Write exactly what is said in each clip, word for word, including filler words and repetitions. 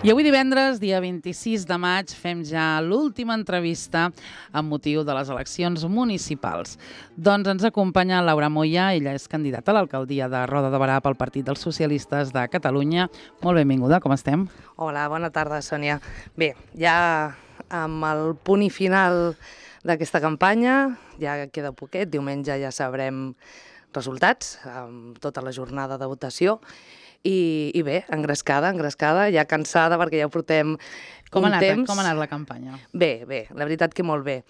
I avui divendres, dia vint-i-sis de maig, fem ja l'última entrevista amb motiu de les eleccions municipals. Doncs ens acompanya Laura Moya, ella és candidata a l'alcaldia de Roda de Berà pel Partit dels Socialistes de Catalunya. Molt benvinguda, com estem? Hola, bona tarda, Sònia. Bé, ja amb el punt i final d'aquesta campanya, ja queda poquet, diumenge ja sabrem resultats, amb tota la jornada de votació. I, i bé, engrescada, engrescada, ja cansada perquè ja ho portem com un anat, temps. Com ha anat la campanya? Bé, bé, la veritat que molt bé.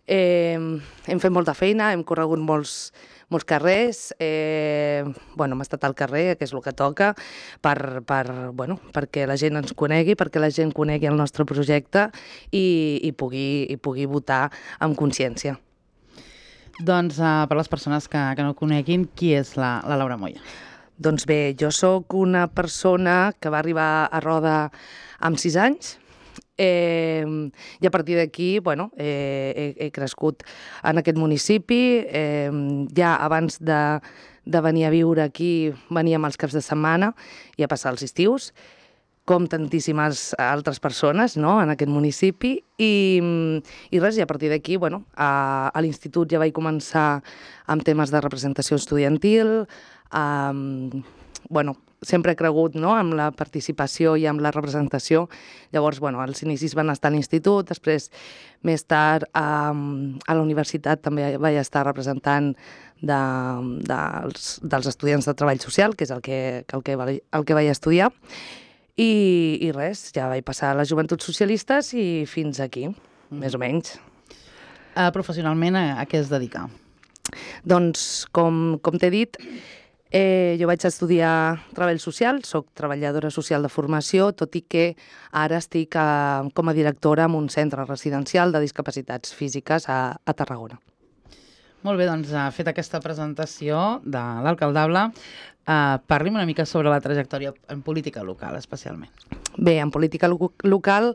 Eh, hem fet molta feina, hem corregut molts, molts carrers, eh, bueno, hem estat al carrer, que és el que toca, per, per, bueno, perquè la gent ens conegui, perquè la gent conegui el nostre projecte i, i, pugui, i pugui votar amb consciència. Doncs uh, per les persones que, que no coneguin, qui és la, la Laura Moya? Doncs bé, jo sóc una persona que va arribar a Roda amb sis anys eh, i a partir d'aquí bueno, eh, he, he crescut en aquest municipi. Eh, ja abans de, de venir a viure aquí veníem els caps de setmana i a passar els estius, com tantíssimes altres persones, no?, en aquest municipi. I, i res, i a partir d'aquí, bueno, a, a l'institut ja vaig començar amb temes de representació estudiantil. Um, bueno, sempre he cregut, no?, amb la participació i amb la representació. Llavors, bueno, els inicis van estar a l'institut, després, més tard, um, a la universitat també vaig estar representant de, de, dels, dels estudiants de treball social, que és el que, el que, el que vaig estudiar. I, i res, ja vaig passar a les Joventuts Socialistes i fins aquí, mm. més o menys. Uh, professionalment, a, a què es dedica? Doncs, com, com t'he dit, eh, jo vaig estudiar Treball Social, soc treballadora social de formació, tot i que ara estic a, com a directora en un centre residencial de discapacitats físiques a, a Tarragona. Molt bé, doncs, uh, fet aquesta presentació de l'alcaldable, Uh, parli'm una mica sobre la trajectòria en política local, especialment. Bé, en política lo local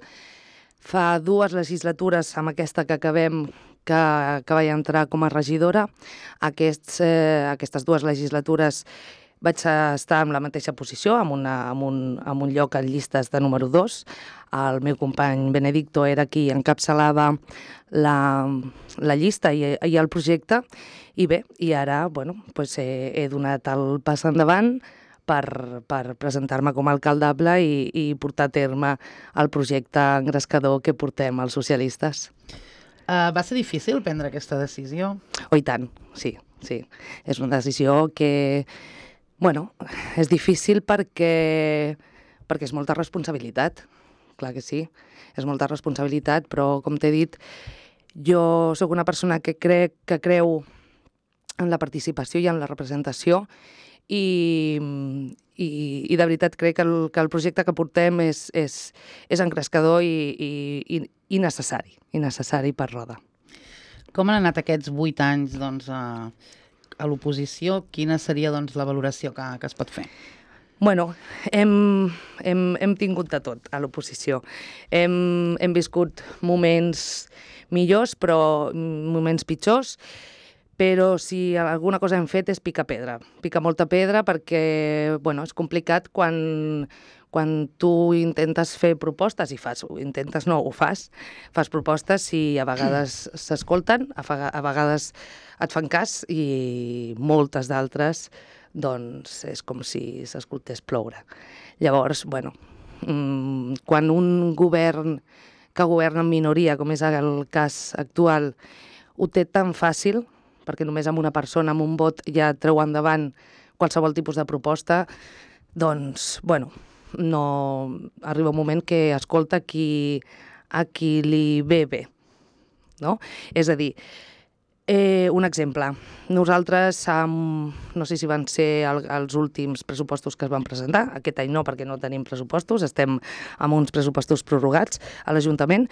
fa dues legislatures, amb aquesta que acabem, que, que vaig entrar com a regidora. Aquests, eh, aquestes dues legislatures vaig estar en la mateixa posició, amb, una, amb, un, amb un lloc en llistes de número dos. El meu company Benedicto era qui encapçalava la, la llista i, i el projecte. I bé, i ara bueno, pues he, he donat el pas endavant per, per presentar-me com a alcaldable i, i portar a terme el projecte engrescador que portem els socialistes. Uh, va ser difícil prendre aquesta decisió? Oh, i tant, sí, sí. És una decisió que, bueno, és difícil perquè, perquè és molta responsabilitat, clar que sí, és molta responsabilitat, però com t'he dit, jo sóc una persona que crec que creu en la participació i en la representació i, i, i de veritat crec que el, que el projecte que portem és, és, és engrescador i, i, i necessari, i necessari per Roda. Com han anat aquests vuit anys doncs, a, a l'oposició? Quina seria doncs, la valoració que, que es pot fer? Bueno, hem, hem, hem tingut de tot a l'oposició. Hem, hem viscut moments millors, però moments pitjors. Però si alguna cosa hem fet és picar pedra. Picar molta pedra perquè bueno, és complicat quan, quan tu intentes fer propostes i fas, intentes no, ho fas, fas propostes i a vegades s'escolten, a, a vegades et fan cas i moltes d'altres doncs és com si s'escoltés ploure. Llavors, bueno, quan un govern que governa en minoria, com és el cas actual, ho té tan fàcil, perquè només amb una persona, amb un vot, ja treu endavant qualsevol tipus de proposta, doncs, bueno, no arriba un moment que escolta qui, a qui li ve bé, no? És a dir, eh, un exemple, nosaltres, um, no sé si van ser el, els últims pressupostos que es van presentar, aquest any no, perquè no tenim pressupostos, estem amb uns pressupostos prorrogats a l'Ajuntament,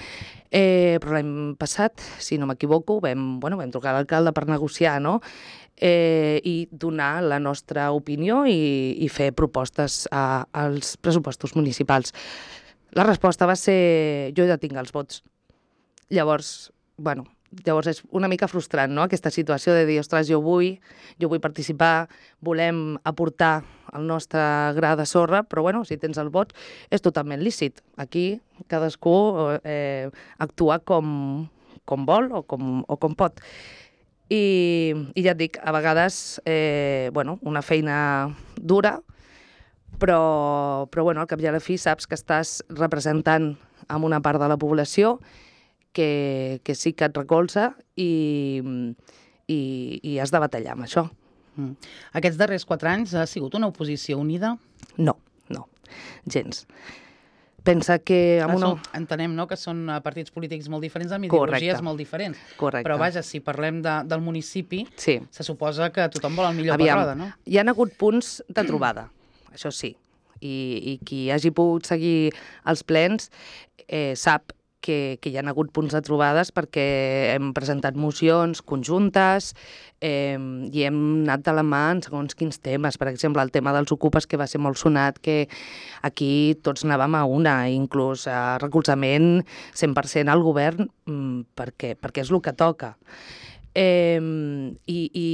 eh, però l'any passat, si no m'equivoco, vam, bueno, vam trucar a l'alcalde per negociar, no?, eh, i donar la nostra opinió i, i fer propostes a, als pressupostos municipals. La resposta va ser, jo ja tinc els vots. Llavors, bueno, llavors és una mica frustrant, no?, aquesta situació de dir, ostres, jo vull, jo vull participar, volem aportar el nostre gra de sorra, però bueno, si tens el vot és totalment lícit. Aquí cadascú eh, actua com, com vol o com, o com pot. I, i ja et dic, a vegades, eh, bueno, una feina dura, però, però bueno, al cap i a la fi saps que estàs representant amb una part de la població que, que sí que et recolza i, i, i has de batallar amb això. Mm. Aquests darrers quatre anys ha sigut una oposició unida? No, no, gens. Pensa que... Amb una... Això, entenem, no?, que són partits polítics molt diferents, amb ideologies Correcte. molt diferents. Correcte. Però vaja, si parlem de, del municipi, sí. se suposa que tothom vol el millor Aviam, per roda, no? Hi ha hagut punts de trobada, això sí. I, i qui hagi pogut seguir els plens eh, sap que, que hi ha hagut punts de trobades perquè hem presentat mocions conjuntes eh, i hem anat de la mà en segons quins temes. Per exemple, el tema dels ocupes, que va ser molt sonat, que aquí tots anàvem a una, inclús a recolzament cent per cent al govern, perquè, perquè és el que toca. Eh, i, i,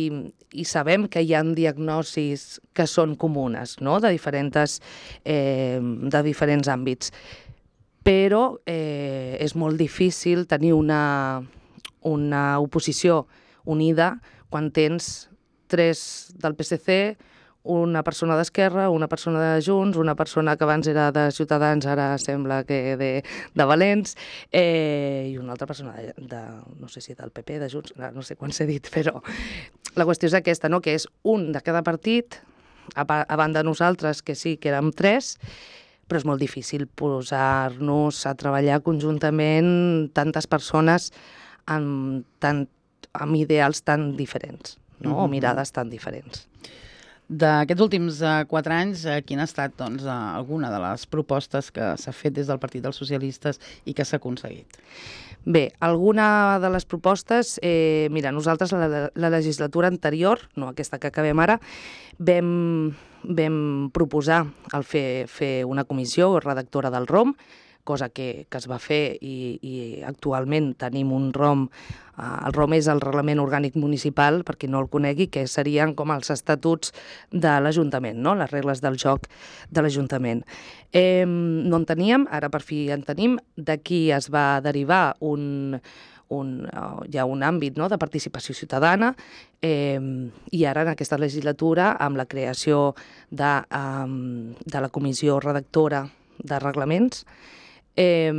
i sabem que hi ha diagnosis que són comunes, no?, de diferents, eh, de diferents àmbits. Però eh, és molt difícil tenir una, una oposició unida quan tens tres del P S C, una persona d'Esquerra, una persona de Junts, una persona que abans era de Ciutadans, ara sembla que de, de Valents, eh, i una altra persona de, de, no sé si del P P, de Junts, no sé quan s'ha dit, però la qüestió és aquesta, no?, que és un de cada partit, a, a banda de nosaltres, que sí que érem tres, però és molt difícil posar-nos a treballar conjuntament tantes persones amb, tant, amb ideals tan diferents, no?, mm-hmm. o mirades tan diferents. D'aquests últims uh, quatre anys, uh, quina ha estat doncs, uh, alguna de les propostes que s'ha fet des del Partit dels Socialistes i que s'ha aconseguit? Bé, alguna de les propostes, eh, mira, nosaltres la, la legislatura anterior, no aquesta que acabem ara, vam, vam proposar el fer, fer una comissió redactora del R O M, cosa que, que es va fer i, i actualment tenim un R O M. El R O M és el Reglament Orgànic Municipal, per qui no el conegui, que serien com els estatuts de l'Ajuntament, no?, les regles del joc de l'Ajuntament. Eh, no en teníem, ara per fi en tenim. D'aquí es va derivar un, un, uh, hi ha un àmbit, no?, de participació ciutadana, eh, i ara en aquesta legislatura, amb la creació de, um, de la comissió redactora de reglaments, Eh,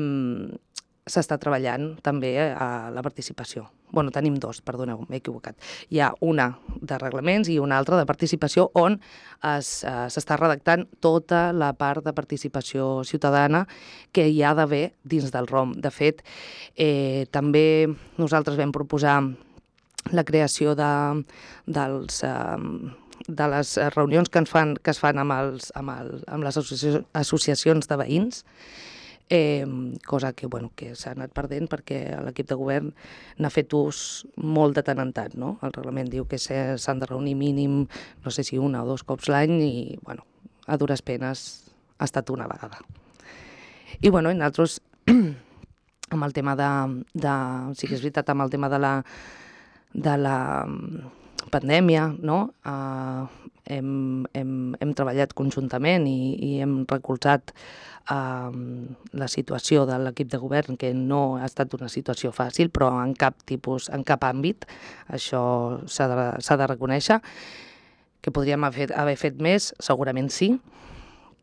s'està treballant també a la participació. Bueno, tenim dos, perdoneu, m'he equivocat. Hi ha una de reglaments i una altra de participació on s'està redactant tota la part de participació ciutadana que hi ha d'haver dins del R O M. De fet, eh, també nosaltres vam proposar la creació de, dels... Eh, de les reunions que, ens fan, que es fan amb, els, amb, el, amb les associacions de veïns, Eh, cosa que, bueno, que s'ha anat perdent perquè l'equip de govern n'ha fet ús molt de tant en tant, no? El reglament diu que s'han de reunir mínim, no sé si una o dos cops l'any i, bueno, a dures penes ha estat una vegada. I, bueno, i nosaltres, amb el tema de, de... Sí que és veritat, amb el tema de la, de la pandèmia, no?, Uh, hem, hem, hem treballat conjuntament i, i hem recolzat uh, la situació de l'equip de govern, que no ha estat una situació fàcil, però en cap tipus, en cap àmbit, això s'ha de, s'ha de reconèixer. Que podríem haver, haver fet més, segurament sí,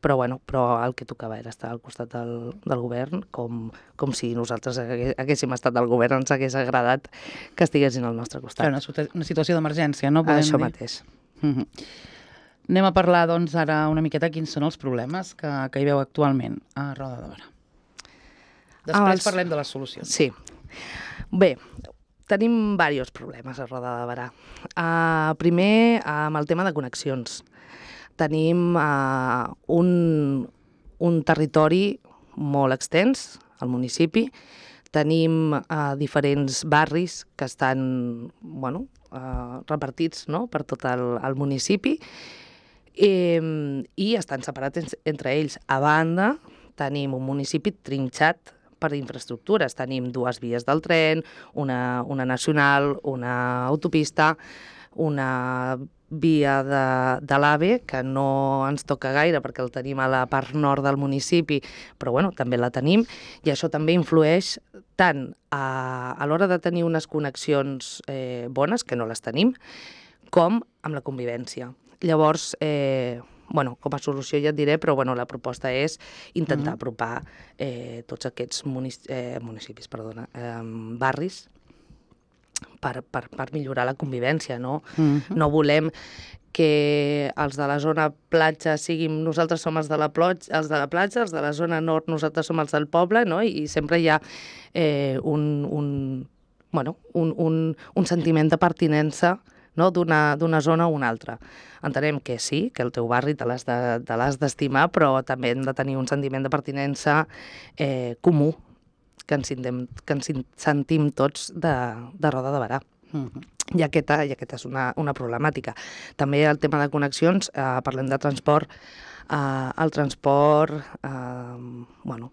però, bueno, però el que tocava era estar al costat del, del govern, com, com si nosaltres haguéssim estat al govern, ens hagués agradat que estiguessin al nostre costat. Una, una situació d'emergència, no? Podem Això dir. Mateix. Mm-hmm. Anem a parlar, doncs, ara una miqueta quins són els problemes que, que hi veu actualment a Roda de Barà. Després ah, els... parlem de les solucions. Sí. Bé, tenim diversos problemes a Roda de Barà. Uh, primer, amb el tema de connexions. Tenim uh, un, un territori molt extens, al municipi. Tenim uh, diferents barris que estan, bueno, uh, repartits, no?, per tot el, el municipi eh, i estan separats entre ells. A banda, tenim un municipi trinxat per infraestructures. Tenim dues vies del tren, una, una nacional, una autopista, una via de, de l'AVE, que no ens toca gaire perquè el tenim a la part nord del municipi, però bueno, també la tenim, i això també influeix tant a, a l'hora de tenir unes connexions eh, bones, que no les tenim, com amb la convivència. Llavors, eh, bueno, com a solució ja et diré, però bueno, la proposta és intentar apropar eh, tots aquests munic eh, municipis, perdona, eh, barris, Per, per, per millorar la convivència, no? Uh-huh. No volem que els de la zona platja siguin... Nosaltres som els de la, plotx, els de la platja, els de la zona nord nosaltres som els del poble, no? I, i sempre hi ha eh, un, un, bueno, un, un, un sentiment de pertinença, no? d'una zona a una altra. Entenem que sí, que el teu barri te l'has de, te l'has d'estimar, però també hem de tenir un sentiment de pertinença eh, comú, que ens, sentim, que ens sentim tots de, de Roda de Berà. Uh-huh. I aquesta, i aquesta és una, una problemàtica. També el tema de connexions, eh, parlem de transport. Eh, el transport, eh, bueno,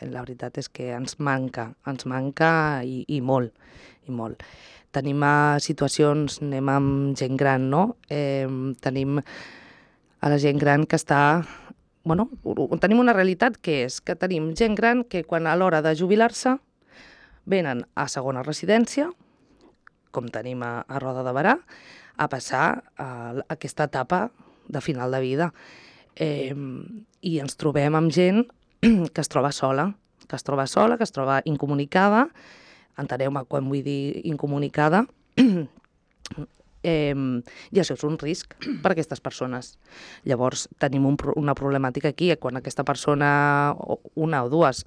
la veritat és que ens manca, ens manca i, i molt, i molt. Tenim eh, situacions, anem amb gent gran, no? Eh, tenim a la gent gran que està... Bueno, tenim una realitat que és que tenim gent gran que quan a l'hora de jubilar-se venen a segona residència, com tenim a, a Roda de Berà, a passar a, a aquesta etapa de final de vida. Eh, I ens trobem amb gent que es troba sola, que es troba sola, que es troba incomunicada, enteneu-me quan vull dir incomunicada, Eh, i això és un risc per a aquestes persones. Llavors tenim un, una problemàtica aquí, quan aquesta persona, una o dues,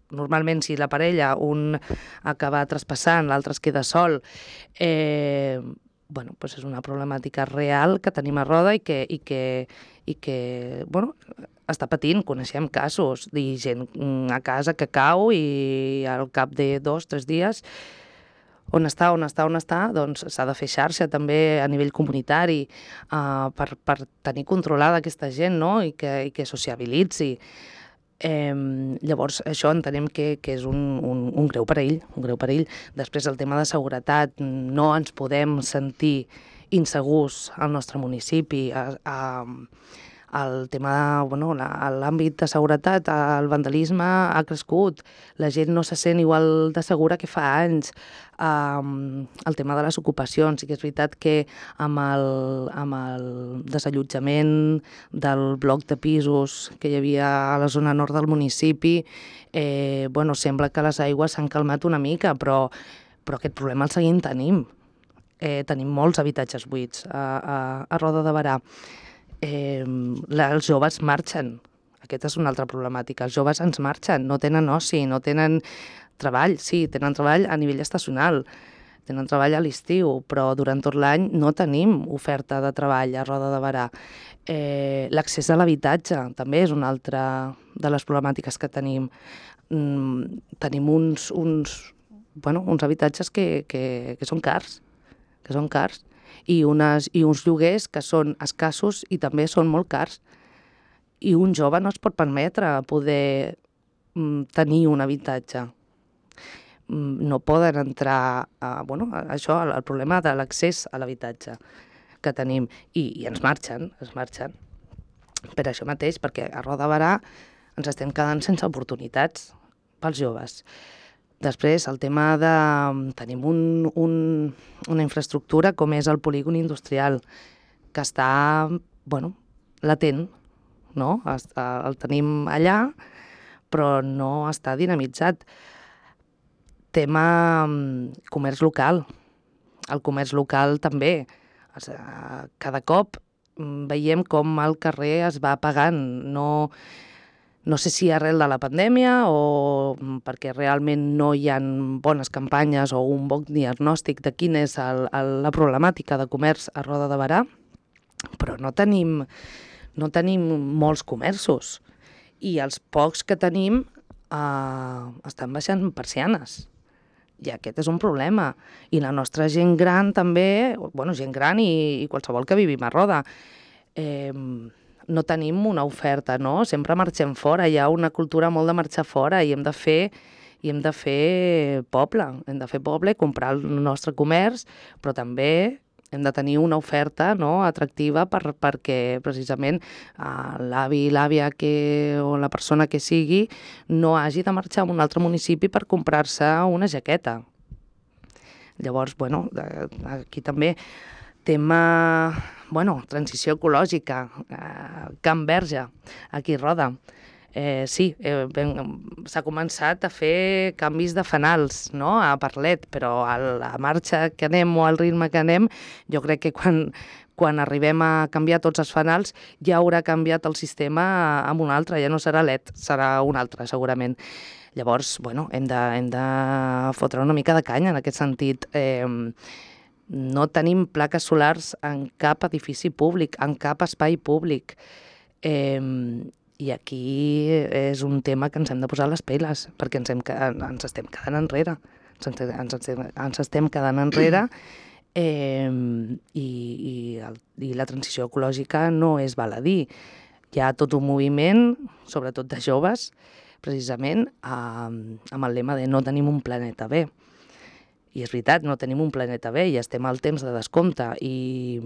normalment si la parella, un acaba traspassant, l'altre es queda sol, eh, bueno, doncs és una problemàtica real que tenim a Roda i que, i que, i que bueno, està patint. Coneixem casos de gent a casa que cau i al cap de dos, tres dies on està, on està, on està, doncs s'ha de fer xarxa també a nivell comunitari uh, per, per tenir controlada aquesta gent, no? I que, i que sociabilitzi. Eh, llavors, això entenem que, que és un, un, un greu perill, un greu perill. Després, el tema de seguretat, no ens podem sentir insegurs al nostre municipi. A, a, el tema, bueno, l'àmbit de seguretat, el vandalisme ha crescut, la gent no se sent igual de segura que fa anys. Um, el tema de les ocupacions, sí que és veritat que amb el, amb el desallotjament del bloc de pisos que hi havia a la zona nord del municipi, eh, bueno, sembla que les aigües s'han calmat una mica, però, però aquest problema el seguim tenim. Eh, tenim molts habitatges buits a, a, a Roda de Berà. Eh, els joves marxen. Aquesta és una altra problemàtica. Els joves ens marxen, no tenen oci, no tenen treball. Sí, tenen treball a nivell estacional, tenen treball a l'estiu, però durant tot l'any no tenim oferta de treball a Roda de Berà. Eh, L'accés a l'habitatge també és una altra de les problemàtiques que tenim. Mm, tenim uns, uns, bueno, uns habitatges que, que, que són cars, que són cars. I, unes, i uns lloguers que són escassos i també són molt cars. I un jove no es pot permetre poder mm, tenir un habitatge. Mm, no poden entrar a, bueno, a això, el problema de l'accés a l'habitatge que tenim. I, i ens marxen, ens marxen. Per això mateix, perquè a Roda de Berà ens estem quedant sense oportunitats pels joves. Després, el tema de... Tenim un, un, una infraestructura com és el polígon industrial, que està, bueno, latent, no? El tenim allà, però no està dinamitzat. Tema comerç local. El comerç local també. Cada cop veiem com el carrer es va apagant. No... No sé si arrel de la pandèmia o perquè realment no hi ha bones campanyes o un bon diagnòstic de quina és el, el, la problemàtica de comerç a Roda de Berà, però no tenim, no tenim molts comerços i els pocs que tenim eh, estan baixant persianes. I aquest és un problema. I la nostra gent gran també, bueno, gent gran i, i qualsevol que vivim a Roda, eh, no tenim una oferta, no? Sempre marxem fora, hi ha una cultura molt de marxar fora i hem de fer, i hem de fer poble, hem de fer poble, comprar el nostre comerç, però també hem de tenir una oferta, no?, atractiva per, perquè precisament uh, l'avi i l'àvia que, o la persona que sigui no hagi de marxar a un altre municipi per comprar-se una jaqueta. Llavors, bueno, aquí també tema, bueno, transició ecològica, uh, Can Verge, aquí Roda. Eh, sí, eh, s'ha començat a fer canvis de fanals, no?, a Parlet, però a la marxa que anem o al ritme que anem, jo crec que quan, quan arribem a canviar tots els fanals ja haurà canviat el sistema amb un altre, ja no serà L E D, serà un altre segurament. Llavors, bueno, hem de, hem de fotre una mica de canya en aquest sentit. Eh, no tenim plaques solars en cap edifici públic, en cap espai públic. Eh, I aquí és un tema que ens hem de posar les piles, perquè ens, hem, ens estem quedant enrere. Ens, ens, estem, ens estem quedant enrere eh, i, i, el, i la transició ecològica no és baladí. Hi ha tot un moviment, sobretot de joves, precisament eh, amb el lema de no tenim un planeta B. I és veritat, no tenim un planeta B i estem al temps de descompte. I,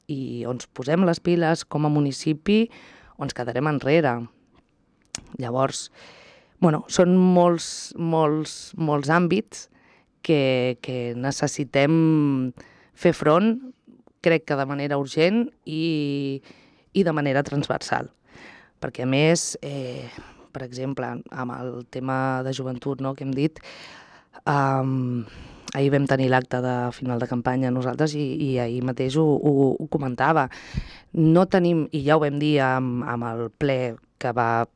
i on ens posem les piles com a municipi o ens quedarem enrere. Llavors, bueno, són molts, molts, molts àmbits que, que necessitem fer front, crec que de manera urgent i, i de manera transversal. Perquè, a més, eh, per exemple, amb el tema de joventut, no?, que hem dit, um, ahir vam tenir l'acte de final de campanya nosaltres i, i ahir mateix ho, ho, ho comentava. No tenim, i ja ho vam dir amb, amb el ple que va,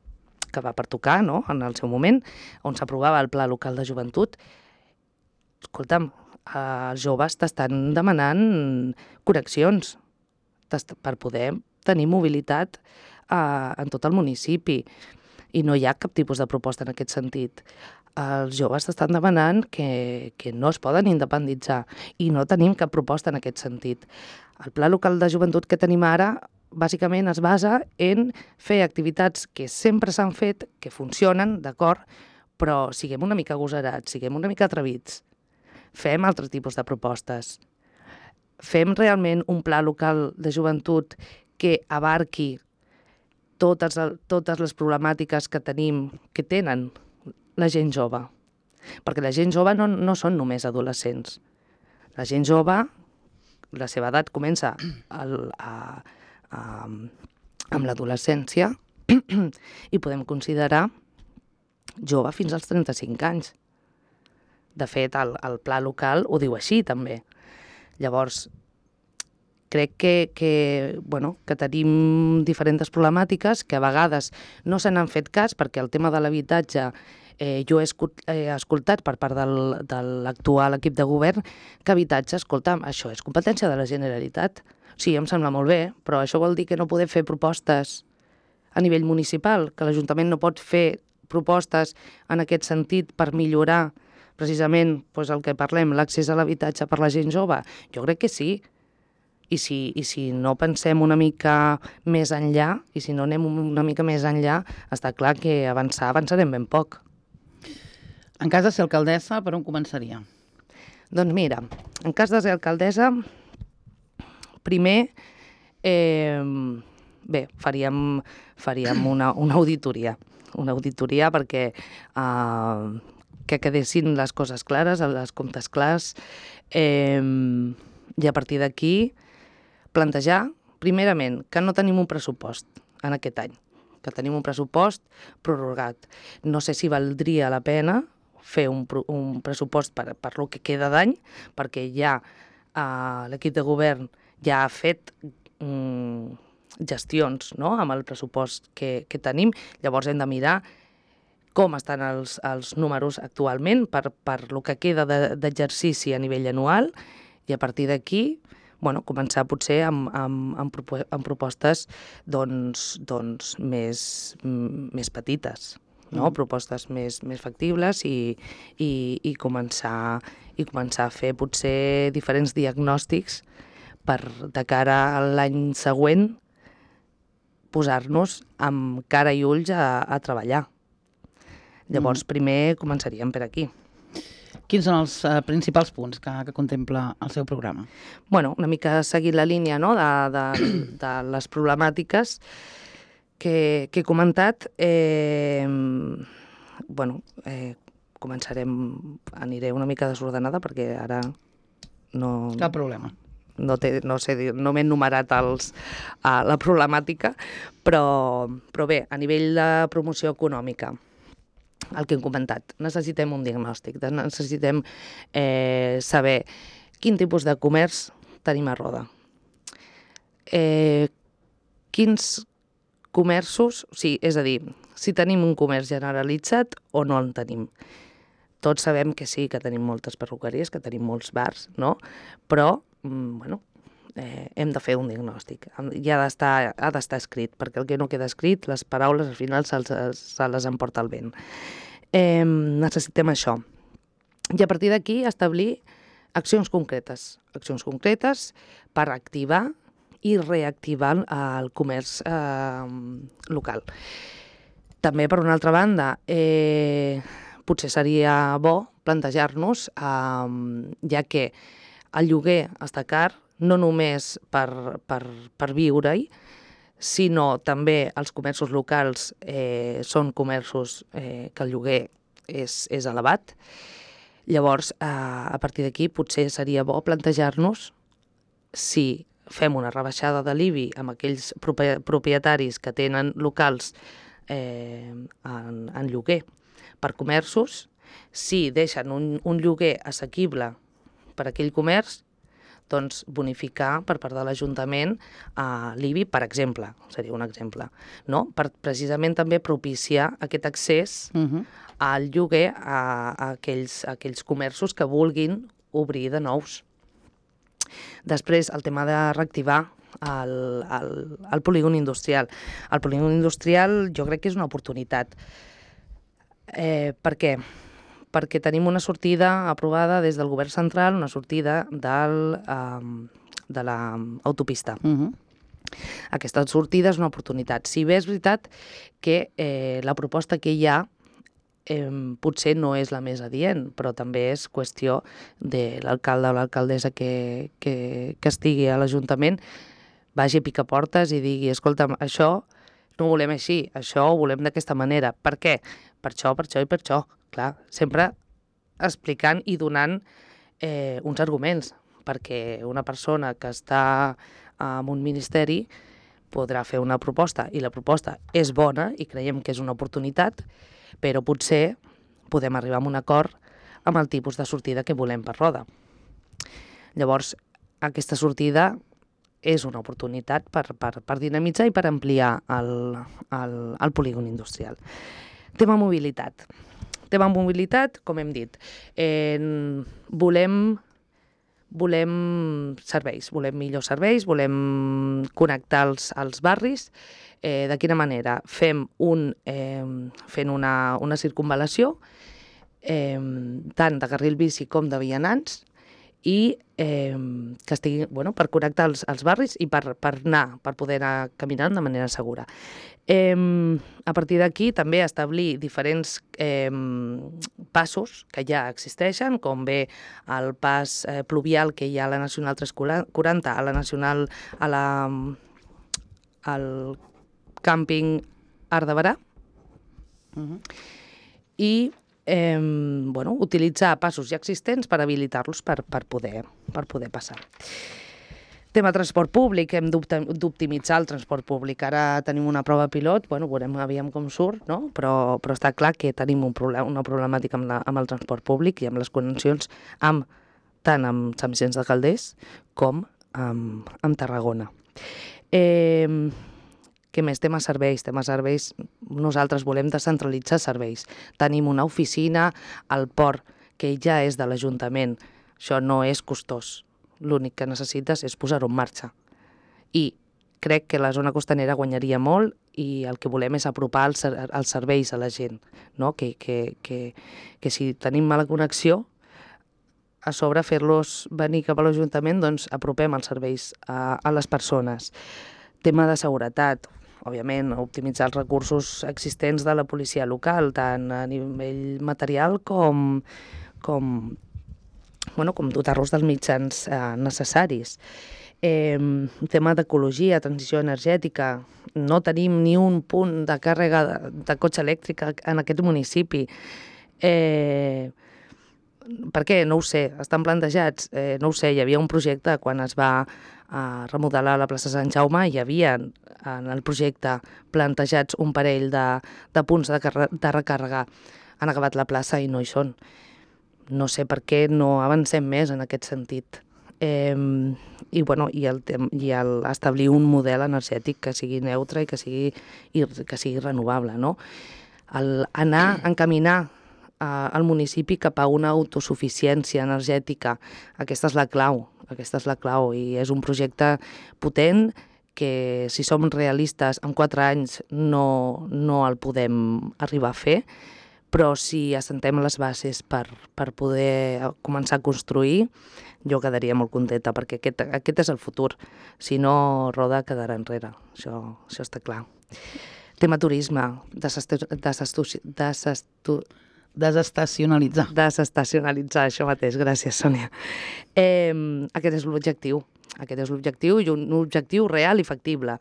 que va pertocar, no?, en el seu moment, on s'aprovava el Pla Local de Joventut. Escolta'm, els joves t'estan demanant connexions per poder tenir mobilitat eh, en tot el municipi i no hi ha cap tipus de proposta en aquest sentit. Els joves t'estan demanant que, que no es poden independitzar i no tenim cap proposta en aquest sentit. El Pla Local de Joventut que tenim ara bàsicament es basa en fer activitats que sempre s'han fet, que funcionen, d'acord, però siguem una mica agosarats, siguem una mica atrevits. Fem altres tipus de propostes. Fem realment un pla local de joventut que abarqui totes, totes les problemàtiques que tenim, que tenen la gent jove. Perquè la gent jove no, no són només adolescents. La gent jove, la seva edat comença al, a, a, amb l'adolescència i podem considerar jove fins als trenta-cinc anys. De fet, el, el pla local ho diu així, també. Llavors, crec que, que, bueno, que tenim diferents problemàtiques que a vegades no se n'han fet cas perquè el tema de l'habitatge eh, jo he escoltat per part del, de l'actual equip de govern que habitatge, escolta'm, això és competència de la Generalitat. Sí, em sembla molt bé, però això vol dir que no podem fer propostes a nivell municipal, que l'Ajuntament no pot fer propostes en aquest sentit per millorar precisament doncs, el que parlem, l'accés a l'habitatge per la gent jove. Jo crec que sí. I si, i si no pensem una mica més enllà, i si no anem una mica més enllà, està clar que avançar, avançarem ben poc. En cas de ser alcaldessa, per on començaria? Doncs mira, en cas de ser alcaldessa, primer, eh, bé, faríem, faríem una, una auditoria. Una auditoria perquè eh, que quedessin les coses clares, els comptes clars, eh, i a partir d'aquí plantejar, primerament, que no tenim un pressupost en aquest any, que tenim un pressupost prorrogat. No sé si valdria la pena fer un, un pressupost per, per lo que queda d'any, perquè ja eh, l'equip de govern ja ha fet mm, gestions, no?, amb el pressupost que, que tenim. Llavors hem de mirar com estan els, els números actualment per, per lo que queda d'exercici a nivell anual i a partir d'aquí bueno, començar potser amb, amb, amb, amb propostes doncs, doncs més, més petites, no? Mm. Propostes més, més factibles i, i, i, començar, i començar a fer potser diferents diagnòstics per de cara a l'any següent posar-nos amb cara i ulls a, a treballar. Llavors, primer començaríem per aquí. Quins són els uh, principals punts que, que contempla el seu programa? Bueno, una mica seguint la línia, no?, de, de, de les problemàtiques que, que he comentat. Eh, bueno, eh, començarem, aniré una mica desordenada perquè ara no... Cap problema. No, té, no, sé, no m'he enumerat els, uh, la problemàtica, però, però bé, a nivell de promoció econòmica, el que hem comentat, necessitem un diagnòstic, necessitem eh, saber quin tipus de comerç tenim a Roda. Eh, quins comerços, o sigui, és a dir, si tenim un comerç generalitzat o no en tenim. Tots sabem que sí, que tenim moltes perruqueries, que tenim molts bars, no? Però, mm, bueno, eh, hem de fer un diagnòstic. I ha d'estar ha d'estar escrit, perquè el que no queda escrit, les paraules al final se, se les emporta el vent. Eh, necessitem això. I a partir d'aquí establir accions concretes. Accions concretes per activar i reactivar el comerç eh, local. També, per una altra banda, eh, potser seria bo plantejar-nos, eh, ja que el lloguer està car, no només per, per, per viure-hi, sinó també els comerços locals eh, són comerços eh, que el lloguer és, és elevat. Llavors, eh, a partir d'aquí, potser seria bo plantejar-nos si fem una rebaixada de l'I B I amb aquells propietaris que tenen locals eh, en, en lloguer per comerços, si deixen un, un lloguer assequible per aquell comerç, doncs bonificar per part de l'Ajuntament a l'I B I, per exemple, seria un exemple, no? Per precisament també propiciar aquest accés uh-huh. al lloguer a, a, aquells, a aquells comerços que vulguin obrir de nous. Després, el tema de reactivar el, el, el polígon industrial. El polígon industrial jo crec que és una oportunitat. Eh, per què? Perquè tenim una sortida aprovada des del govern central, una sortida del, um, de l'autopista. Uh-huh. Aquesta sortida és una oportunitat. Si bé és veritat que eh, la proposta que hi ha eh, potser no és la més adient, però també és qüestió de l'alcalde o l'alcaldessa que, que, que estigui a l'Ajuntament, vagi a picar portes i digui, escolta'm, això no ho volem així, això ho volem d'aquesta manera. Per què? Per això, per això i per això. Clar, sempre explicant i donant eh, uns arguments, perquè una persona que està en un ministeri podrà fer una proposta, i la proposta és bona i creiem que és una oportunitat, però potser podem arribar a un acord amb el tipus de sortida que volem per Roda. Llavors, aquesta sortida és una oportunitat per, per, per dinamitzar i per ampliar el, el, el polígon industrial. Tema mobilitat. Tema mobilitat, com hem dit, eh, volem, volem serveis, volem millors serveis, volem connectar els, els barris. Eh, de quina manera? Fem un, eh, fent una, una circunvalació, eh, tant de carril bici com de vianants, i eh, que estigui, bueno, per connectar els, els barris i per, per anar, per poder anar caminant de manera segura. Eh, a partir d'aquí també establir diferents eh, passos que ja existeixen, com bé el pas eh, pluvial que hi ha a la Nacional tres quaranta, a la Nacional, a la, al càmping Arc de Berà, uh-huh. i Eh, bueno, utilitzar passos ja existents per habilitar-los per, per, poder, per poder passar. Tema transport públic, hem d'optimitzar el transport públic. Ara tenim una prova pilot, bueno, veurem aviam com surt, no? però, però està clar que tenim un problema, una problemàtica amb, la, amb el transport públic i amb les connexions amb, tant amb Sant Vicenç de Calders com amb, amb Tarragona. Eh, Què més? Tema serveis. Tema serveis, nosaltres volem descentralitzar serveis. Tenim una oficina al port que ja és de l'Ajuntament. Això no és costós. L'únic que necessites és posar-ho en marxa. I crec que la zona costanera guanyaria molt i el que volem és apropar els, els serveis a la gent. No? Que, que, que, que si tenim mala connexió, a sobre fer-los venir cap a l'Ajuntament, doncs apropem els serveis a, a les persones. Tema de seguretat. òbviament, optimitzar els recursos existents de la policia local, tant a nivell material com, com, bueno, com dotar-los dels mitjans eh, necessaris. Eh, tema d'ecologia, transició energètica, no tenim ni un punt de càrrega de, de cotxe elèctric en aquest municipi. Eh, per què? No ho sé, estan plantejats, eh, no ho sé, hi havia un projecte quan es va eh, remodelar la plaça Sant Jaume, hi havia en el projecte plantejats un parell de, de punts de, de recàrrega, han acabat la plaça i no hi són. No sé per què no avancem més en aquest sentit. Eh, i, bueno, i, el, i el establir un model energètic que sigui neutre i que sigui, i que sigui renovable, no? El anar, encaminar eh, el municipi cap a una autosuficiència energètica, aquesta és la clau, aquesta és la clau, i és un projecte potent que, si som realistes, en quatre anys no, no el podem arribar a fer, però si assentem les bases per, per poder començar a construir, jo quedaria molt contenta, perquè aquest, aquest és el futur. Si no, Roda quedarà enrere, això, això està clar. Tema turisme, desestu, desestu, desestu, desestacionalitzar. Desestacionalitzar, això mateix, gràcies, Sònia. Eh, aquest és l'objectiu, aquest és l'objectiu i un objectiu real i factible.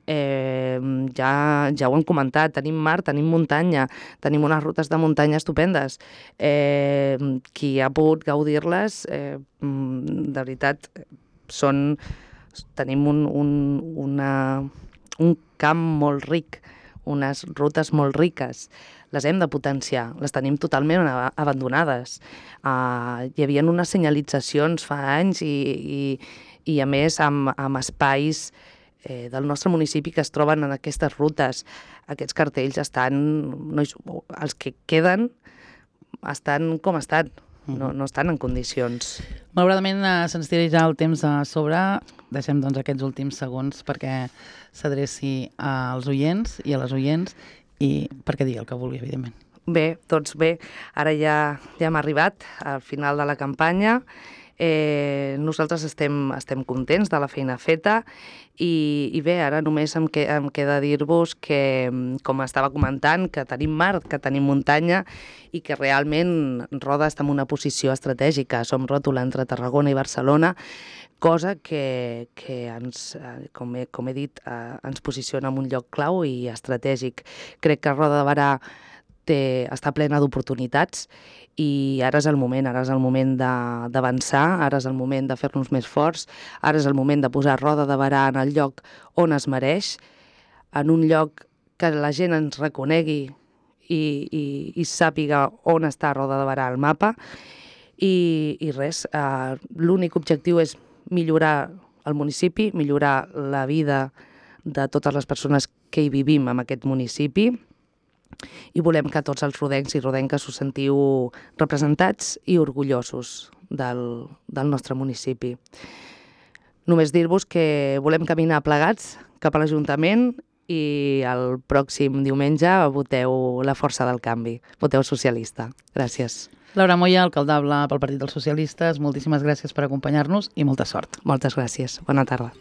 Eh, ja, ja ho hem comentat, tenim mar, tenim muntanya, tenim unes rutes de muntanya estupendes. Eh, qui ha pogut gaudir-les, eh, de veritat, són, tenim un, un, una, un camp molt ric, unes rutes molt riques. Les hem de potenciar, les tenim totalment abandonades. Uh, hi havia unes senyalitzacions fa anys i, i, i a més amb, amb espais eh, del nostre municipi que es troben en aquestes rutes. Aquests cartells estan, no, els que queden estan com estan, no, no estan en condicions. Malauradament eh, se'ns tira ja el temps a sobre, deixem doncs aquests últims segons perquè s'adreci als oients i a les oients i perquè digui el que vulgui, evidentment. Bé, doncs bé, ara ja, ja hem arribat al final de la campanya. Eh, nosaltres estem, estem contents de la feina feta i, i bé, ara només em, que, em queda dir-vos que, com estava comentant, que tenim mar, que tenim muntanya i que realment Roda està en una posició estratègica. Som ròtula entre Tarragona i Barcelona, cosa que, que ens, com he, com he dit, eh, ens posiciona en un lloc clau i estratègic. Crec que Roda de Berà té, està plena d'oportunitats i ara és el moment, ara és el moment d'avançar, ara és el moment de fer-nos més forts, ara és el moment de posar Roda de Berà en el lloc on es mereix, en un lloc que la gent ens reconegui i, i, i sàpiga on està Roda de Berà al mapa i, i res, eh, l'únic objectiu és millorar el municipi, millorar la vida de totes les persones que hi vivim en aquest municipi i volem que tots els rodencs i rodenques us sentiu representats i orgullosos del, del nostre municipi. Només dir-vos que volem caminar plegats cap a l'Ajuntament i el pròxim diumenge voteu la força del canvi, voteu socialista. Gràcies. Laura Moya, alcaldable pel Partit dels Socialistes, moltíssimes gràcies per acompanyar-nos i molta sort. Moltes gràcies. Bona tarda.